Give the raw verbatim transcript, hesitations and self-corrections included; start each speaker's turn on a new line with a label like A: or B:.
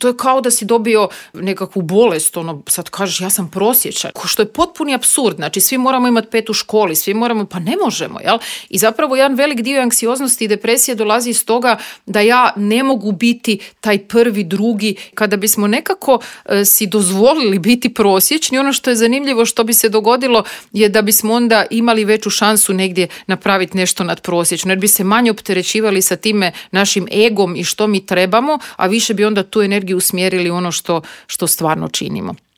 A: To je kao da si dobio nekakvu bolest, ono, sad kažeš ja sam prosječan, što je potpuni apsurd, znači svi moramo imati pet u školi, svi moramo, pa ne možemo, jel? I zapravo jedan velik dio anksioznosti i depresije dolazi iz toga da ja ne mogu biti taj prvi, drugi, kada bismo nekako e, si dozvolili biti prosječni, ono što je zanimljivo što bi se dogodilo je da bismo onda imali veću šansu negdje napraviti nešto nadprosječno, jer bi se manje opterećivali sa time našim egom i što mi trebamo, a više bi onda tu energiju usmjerili ono što, što stvarno činimo.